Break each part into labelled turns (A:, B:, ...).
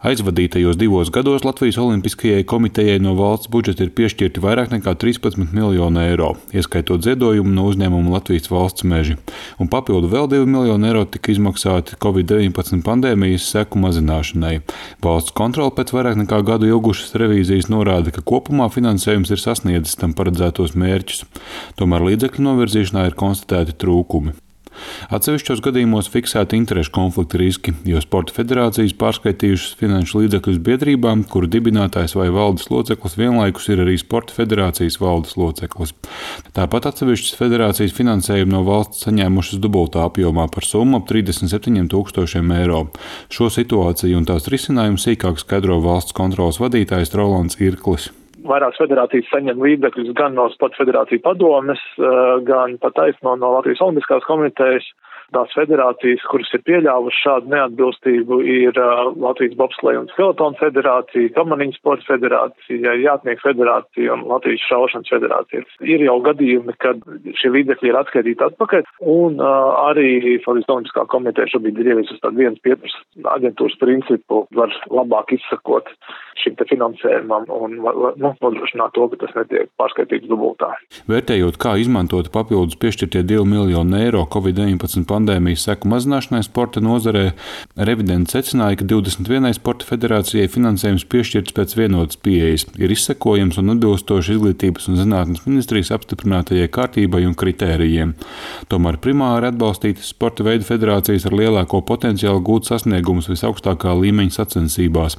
A: Aizvadītajos 2 gados Latvijas Olimpiskajai komitejai no valsts budžeta ir piešķirti vairāk nekā 13 miljoni eiro, ieskaitot ziedojumu no uzņēmuma Latvijas valsts meži, un papildu vēl 2 miljoni eiro tika izmaksāti Covid-19 pandēmijas seku mazināšanai. Valsts kontrole pēc vairāk nekā gadu ilgušas revīzijas norāda, ka kopumā finansējums ir sasniedzis tam paredzētos mērķus. Tomēr līdzekļu novirzīšanā ir konstatēti trūkumi. Atsevišķos gadījumos fiksēti interešu konflikta riski, jo sporta federācijas pārskaitījušas finanšu līdzekļus biedrībām, kuru dibinātājs vai valdes loceklis vienlaikus ir arī sporta federācijas valdes loceklis. Tāpat atsevišķas federācijas finansējumu no valsts saņēmušas dubultā apjomā par summu ap 37 000 eiro. Šo situāciju un tās risinājumu sīkāk skaidro valsts kontroles vadītājs Rolands Irklis.
B: Vairākas federācijas saņem līdzekļus gan no Sporta federāciju padomes, gan pat taisno no Latvijas Olimpiskās komitejas. Tās federācijas, kuras ir pieļāvušas šādu neatbilstību, ir Latvijas bobsleja un skeletonu federācija, kamaniņu sporta federācija, jātnieku federācija un Latvijas šaušanas federācija. Ir jau gadījumi, kad šie līdzekļi ir atskaitīti atpakaļ, un arī Latvijas Olimpiskā komiteja šobrīd ir ieviesusi tādu vienas pieturas aģentūras principu, var labāk izsakot šim te finansējumam un nodrošināt to, ka tas netiek pārskaitīts dubultā.
A: Vērtējot, kā izmantot papildus piešķirtie 2 miljoni eiro Covid-19 pandēmijas seku mazināšanai sporta nozarē, revidenti secināja, ka 21 sporta federācijai finansējums piešķirts pēc vienotas pieejas, ir izsekojams un atbilstoši Izglītības un zinātnes ministrijas apstiprinātajai kārtībai un kritērijiem. Tomēr primāri atbalstītas sporta veidu federācijas ar lielāko potenciālu gūt sasniegumus visaugstākā līmeņa sacensībās.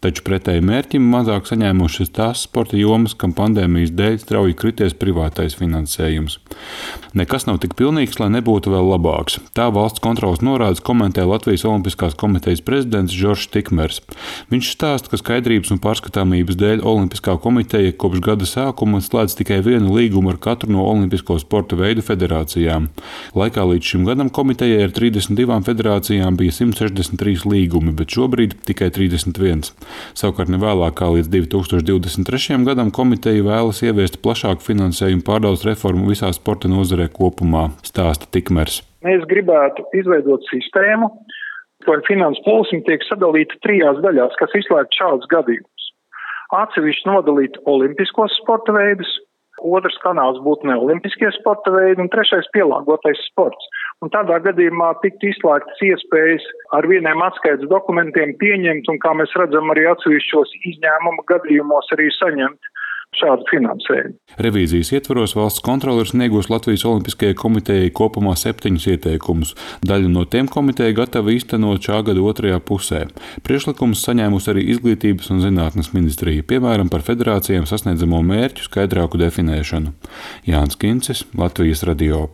A: Taču pretēji mērķim mazāk saņēmušas tās sporta jomas, kam pandēmijas dēļ strauji krities privātais finansējums. Nekas nav tik pilnīgs, lai nebūtu vēl labāks. Tā valsts kontroles norādes komentē Latvijas Olimpiskās komitejas prezidents Žoržs Tikmers. Viņš stāsta, ka skaidrības un pārskatāmības dēļ Olimpiskā komiteja kopš gada sākuma slēdz tikai vienu līgumu ar katru no olimpisko sporta veidu federācijām. Laikā līdz šim gadam komitejai ar 32 federācijām bija 163 līgumi, bet šobrīd tikai 31. Savukārt nevēlāk kā līdz 2023. gadam komiteja vēlas ieviest plašāku finansējumu pārdales reformu visā sporta nozarē kopumā, stāsta Tikmers.
C: Mēs gribētu izveidot sistēmu, kur finanses plūsma tiek sadalīta 3 daļās, kas izslēgt šādus gadījumus. Atsevišķi nodalīt olimpiskos sporta veidus, otrs kanāls būtu neolimpiskie sporta veidi un trešais pielāgotais sports. Un tādā gadījumā tiktu izslēgtas iespējas ar vieniem atskaites dokumentiem pieņemt un, kā mēs redzam, arī atsevišķos izņēmuma gadījumos arī saņemt šādu finansējumu.
A: Revīzijas ietvaros valsts kontrole ir sniegusi Latvijas Olimpiskajai komitejai kopumā 7 ieteikumus. Daļu no tiem komiteja gatava īstenot šā gada otrajā pusē. Priekšlikumus saņēmusi arī Izglītības un zinātnes ministrija, piemēram, par federācijām sasniedzamo mērķu skaidrāku definēšanu. Jānis Kincis, Latvijas radio.